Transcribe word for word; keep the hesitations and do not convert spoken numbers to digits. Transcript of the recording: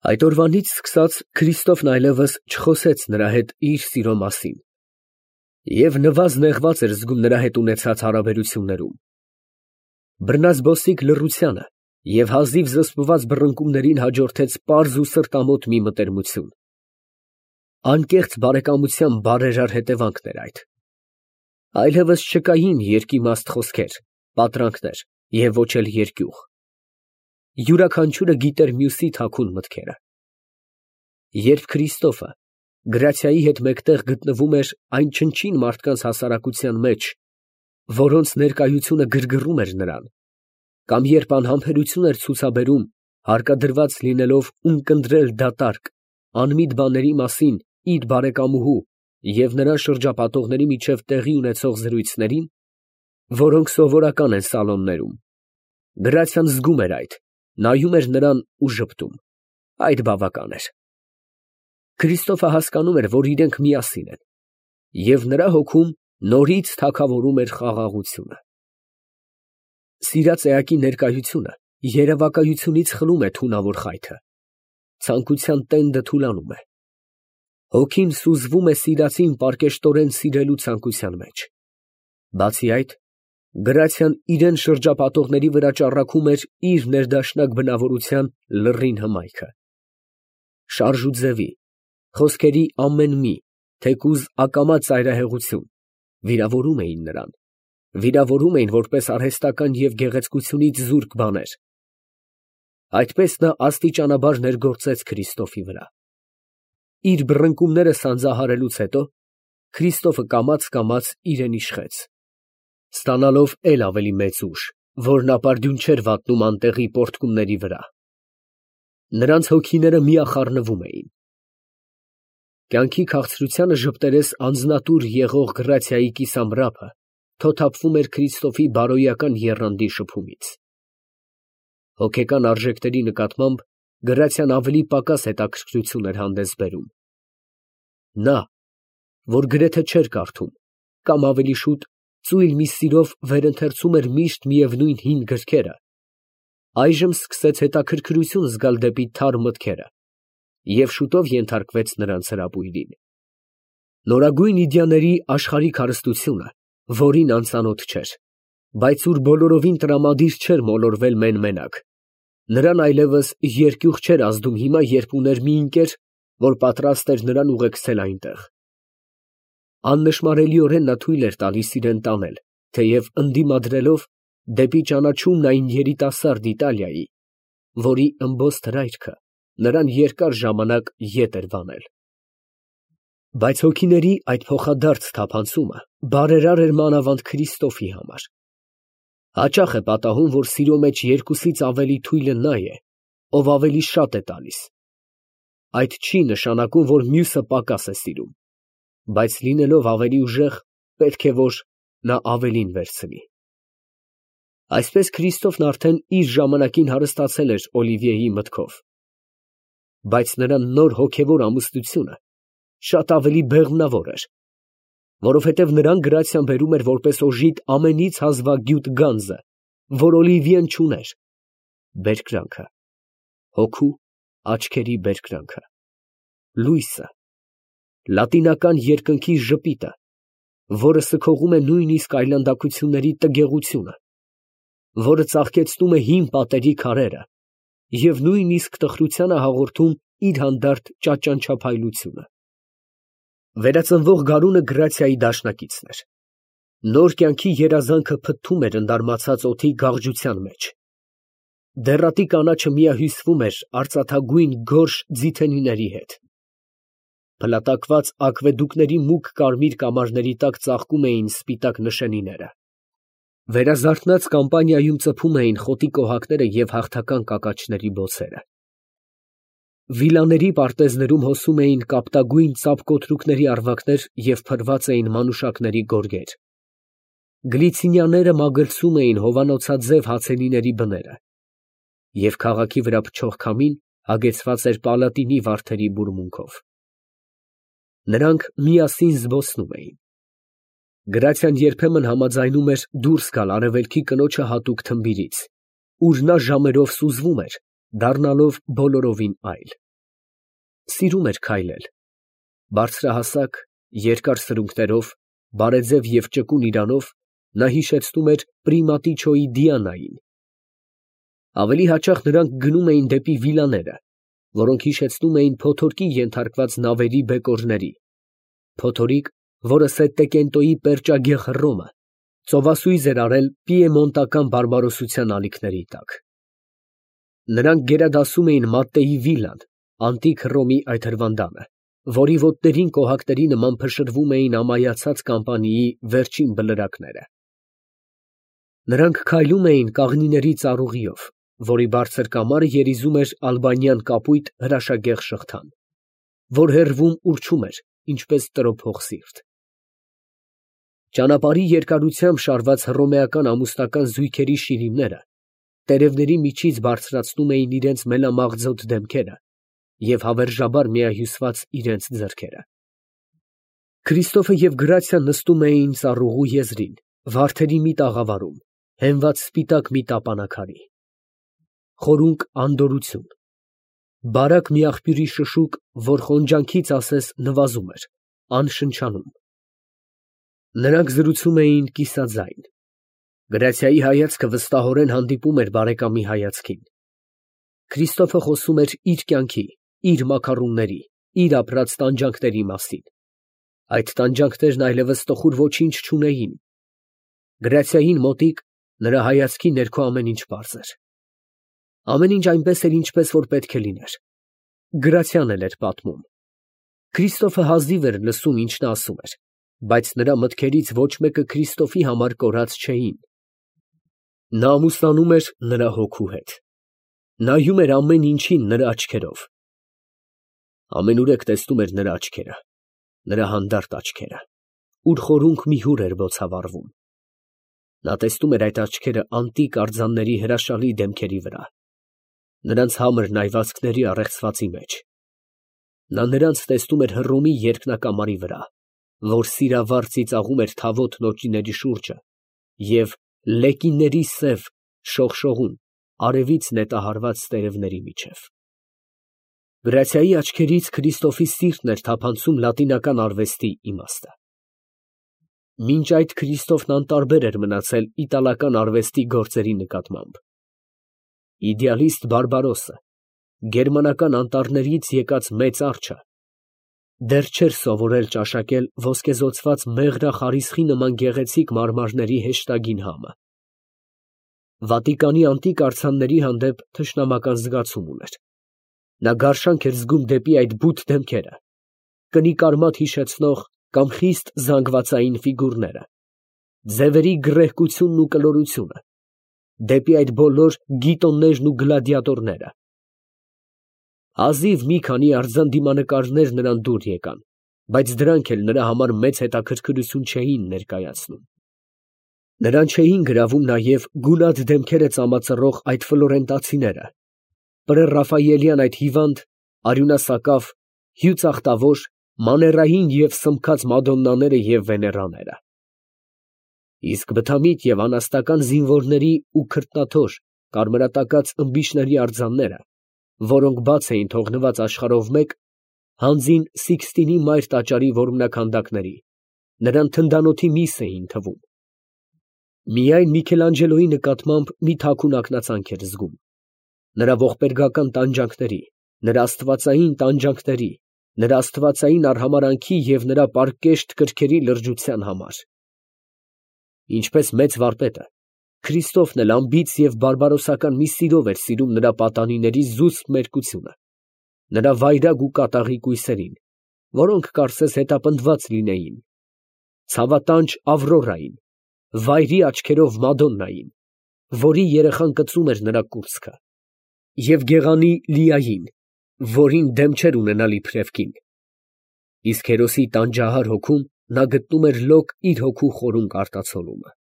Այդ օրվանից սկսած Քրիստոֆն այլևս չխոսեց նրա հետ իր սիրո մասին և նվազ նեղված էր զգում նրա հետ ունեցած հարաբերություններում։ Բռնազբոսիկ լռությանը և հազիվ զսպված բռնկումներին հաջորդեց պարզ ու սրտամոտ մի մտերմություն։ Անկեղծ բարեկամության բարերար հետևանքն էր այդ։ Այլևս չկային երկիմաստ խոսքեր, պատրանքներ և ոչ էլ երկյուղ։ Յուրաքանչյուրը գիտեր մյուսի թաքուն մտքերը։ Երբ Քրիստոֆը գրացիայի հետ մեկտեղ գտնվում էր այն չնչին մարդկանց հասարակության մեջ, որոնց ներկայությունը գրգռում էր նրան, կամ երբ անհամբերություն էր ցուցաբերում, հարկադրված լինելով ունկնդրել դատարկ, անմիտ բաների մասին իր բարեկամուհու և նրան շրջապատողների միջև տեղի ունեցող զրույցներին, որոնք սովորական են սալոններում, գրացիան զգում էր այդ, նայում էր նրան ու ժպտում. այդ բավական էր։ Քրիստոֆը հասկանում էր, որ իրենք միասին են, և նրա հոգում նորից թագավորում էր խաղաղությունը։ Սիրած էակի ներկայությունը երևակայությունից խլում է թունավոր խայթը, ցանկության տենդը թուլանում է։ Հոգին սուզվում է սիրածին պարկեշտորեն սիրելու ցանկության մեջ։ Բացի այդ, գրացիան իրան շրջապատողների վրա ճառագում էր իր ներդաշնակ բնավորության լռին հմայքը։ Շարժ ու ձևի, խոսքերի ամեն մի, թեկուզ ակամա ծայրահեղություն վիրավորում էին նրան, վիրավորում էին որպես արհեստական և գեղեցկությունից զուրկ բաներ։ Այդպես նա աստիճանաբար ներգործեց Քրիստոֆի վրա։ Իր բռնկումները սանձահարելուց հետո Քրիստոֆը կամաց֊կամաց իրան իշխեց, ստանալով էլ ավելի մեծ ուժ, որն ապարդյուն չէր վատնում անտեղի պոռթկումների վրա։ Նրանց հոգիները միախառնվում էին։ Կյանքի քաղցրությանը ժպտերես անձնատուր եղող գրացիայի կիսամռափը թոթափվում էր Քրիստոֆի բարոյական եռանդի շփումից։ Հոգեկան արժեքների նկատմամբ գրացիան ավելի պակաս հետաքրքրություն էր հանդես բերում։ Նա, որ գրեթե չէր կարդում, կամ ավելի շուտ ծույլ մի սիրով վերընթերցում էր միշտ միևնույն հին գրքերը, այժմ սկսեց հետաքրքրություն զգալ դեպի թարմ մտքերը և շուտով ենթարկվեց նրանց հրապույրին։ Նորագույն իդեաների աշխարհիկ հարստությունը, որին անծանոթ չէր, բայց ուր բոլորովին տրամադիր չէր մոլորվել մեն֊մենակ, նրան այլևս երկյուղ չէր ազդում հիմա, երբ ուներ մի ընկեր, որ պատրաստ էր նրան ուղեկցել այնտեղ։ Աննշմարելիորեն նա թույլ էր տալիս իրան տանել, թեև ընդդիմադրելով դեպի ճանաչումն այն երիտասարդ Իտալիայի, որի ըմբոստ հրայրքը նրան երկար ժամանակ ետ էր վանել։ Բայց հոգիների այդ փոխադարձ թափանցումը բարերար էր մանավանդ Քրիստոֆի համար։ Հաճախ է պատահում, որ սիրո մեջ երկուսից ավելի թույլը նա է, ով ավելի շատ է տալիս։ Այդ չի նշանակում, որ մյուսը պակաս է սիրում, բայց լինելով ավելի ուժեղ, պետք է որ նա ավելին վերցնի։ Այսպես Քրիստոֆն արդեն իր ժամանակին հարստացել էր Օլիվիեի մտքով, բայց նրա նոր հոգևոր ամուսնությունը շատ ավելի բեղմնավոր էր, որովհետև նրան գրացիան բերում էր որպես օժիտ ամենից հազվագյուտ գանձը, որ Օլիվիեն չուներ, բերկրանքը, հոգու աչքերի բերկրանքը, լույսը, լատինական երկնքի ժպիտը, որը սգողում է նույնիսկ այլանդակությունների տգեղությունը, որը ծաղկեցնում է հին պատերի քարերը և նույնիսկ տխրությանը հաղորդում իր հանդարտ ճաճանչափայլությունը։ Վերածնվող գարունը գրացիայի դաշնակիցն էր։ Նոր կյանքի երազանքը փթթում էր ընդարմացած օդի գաղջության մեջ։ Դեռատի կանաչը միահյուսվում էր արծաթագույն գորշ ձիթենիների հետ։ Փլատակված ակվեդուկների մուգ կարմիր կամարների տակ ծաղկում էին սպիտակ նշանիները։ Վերազարթնած կամպանիայում ծփում էին խոտի կոհակները և հաղթական կակաչների բոցերը։ Վիլաների պարտեզներում հոսում էին կապտագույն ծափկոթրուկների առվակներ և փռված էին մանուշակների գորգեր։ Գլիցինիաները մագլցում էին հովանոցաձև հացենիների բները, և քաղաքի վրա փչող քամին հագեցված էր պալատինի վարդերի բուրմունքով։ Նրանք միասին զբոսնում էին։ Գրացիան երբեմն համաձայնում էր դուրս գալ արևելքի կնոջը հատուկ թմբիրից, ուր նա ժամերով սուզվում էր, դառնալով բոլորովին այլ։ սիրում էր քայլել։ Բարձրահասակ, երկար սրունքներով, բարեձև և ճկուն իրանով նա հիշեցնում էր Պրիմատիչոյի Դիանային։ Ավելի հաճախ նրանք գնում էին դեպի վիլաները, որոնք հիշեցնում էին փոթորկի ենթարկված նավերի բեկորների, փոթորիկ, որը Սետտեկենտոյի պերճագեղ Հռոմը ծովասույզ էր արել պիեմոնտական բարբարոսության ալիքների տակ։ Նրանք գերադասում էին Մատտեի վիլան, անտիկ Հռոմի այդ հրվանդանը, որի ոտներին կոհակների նման փշրվում էին ամայացած կամպանիի վերջին բլրակները։ Նրանք քայլում էին կաղնիների ծառուղիով, որի բարձր կամարը երիզում էր ալբանյան կապույտ հրաշագեղ շղթան, որ հեռվում ուռչում էր, ինչպես տրոփող սիրտ։ Ճանապարհի երկարությամբ շարված հռոմեական ամուսնական զույգերի շիրիմները տերևների միջից բարձրացնում էին իրենց մելամաղձոտ դեմքերը և հավերժաբար միահյուսված իրենց ձեռքերը։ Քրիստոֆը և Գրացիան նստում էին ծառուղու եզրին, վարդերի մի տաղավարում, հենված սպիտակ մի տապանաքարի։ Խորունկ անդորրություն, բարակ մի աղբյուրի շշուկ, որ խոնջանքից ասես նվազում էր, անշնչանում։ Նրանք զրուցում էին կիսաձայն։ Գրացիայի հայացքը վստահորեն հանդիպում էր բարեկամի հայացքին։ Քրիստոֆը խոսում էր իր կյանքի, իր մակարոնների, իր ապրած տանջանքների մասին։ Այդ տանջանքներն այլևս տխուր ոչինչ չունեին։ Գրացիային մոտիկ նրա հայացքի ներքո ամեն ինչ պարզ էր։ Ամեն ինչ այնպես էր, ինչպես որ պետք է լիներ։ Գրացիան էլ էր պատմում։ Քրիստոֆը հազիվ էր լսում, ինչ նա ասում էր, բայց նրա մտքերից ոչ մեկը Քրիստոֆի համար կորած չէին։ Նա ամուսնանում էր նրա հոգու հետ։ Նայում էր ամեն ինչին նրա աչքերով։ Ամենուրեք տեսնում էր նրա աչքերը, նրա հանդարտ աչքերը, ուր խորունկ մի հուր էր բոցավառվում։ Նա տեսնում էր այդ աչքերը անտիկ արձանների հրաշալի դեմքերի վրա, նրանց համր նայվածքների առեղծվածի մեջ։ Նա նրանց տեսնում էր Հռոմի երկնակամարի վրա, որ սիրավար ծիծաղում էր թավոտ նոճիների շուրջը և լեկինների սև շողշողուն արևից նետահարված տերևների միջև։ Գրացիայի աչքերից Քրիստոֆի սիրտն էր թափանցում լատինական արվեստի իմաստը։ Մինչ այդ Քրիստոֆն անտարբեր էր մնացել իտալական արվեստի գործերի նկատմամբ։ Իդեալիստ Բարբարոսը, գերմանական անտառներից եկած մեծ արջը, դեռ չէր սովորել ճաշակել ոսկեզօծված մեղրախարիսխի նման գեղեցիկ մարմարների հեշտագին համը։ Վատիկանի անտիկ արձանների հանդեպ թշնամական զգացում ուներ։ Նա գարշանք էր զգում դեպի այդ բութ դեմքերը, կնիկ արմատ հիշեցնող կամ խիստ զանգվածային ֆիգուրները, ձևերի գռեհկությունն ու կլորությունը, դեպի այդ բոլոր գիտոններն ու գլադիատորները։ Հազիվ մի քանի արձան դիմանկարներ նրան դուր եկան, բայց դրանք էլ նրա համար մեծ հետաքրքրություն չէին ներկայացնում։ Նրան չէին գրավում նաև գունատ դեմքերը ծամածռող այդ ֆլորենտացիները, պրեռաֆայելյան այդ հիվանդ, արյունասակավ, հյուծախտավոր, մաներային և սմբքած մադոննաները և վեներաները։ Իսկ բթամիտ և անաստական զինվորների ու քրտնաթոր կարմրատակած ըմբիշների արձանները, որոնք բաց էին թողնված աշխարհով մեկ, հանձին Սիկստինի մայր տաճարի որմնաքանդակների, նրան թնդանոթի միս էին թվում։ Միայն Միքելանջելոյի նկատմամբ մի թաքուն ակնածանք էր զգում, նրա ողբերգական տանջանքների, նրա աստվածային տանջանքների, նրա աստվածային արհամարհանքի և նրա պարկեշտ կրքերի լրջության համար։ Ինչպես մեծ վարպետը, Քրիստոֆն էլ անբիծ և բարբարոսական մի սիրով էր սիրում նրա պատանիների զուսպ մերկությունը, նրա վայրագ ու կատաղի կույսերին, որոնք կարծես հետապնդված լինեին, ցավատանջ Ավրորային, վայրի աչքերով Մադոննային, որի երեխան կծում էր նրա կուրծքը, և գեղանի Լիային, որին դեմ չէր ունենալ իբրև կին, իսկ հերոսի տանջահար հոգում նա գտնում էր լոկ իր հոգու խորունկ արտացոլումը։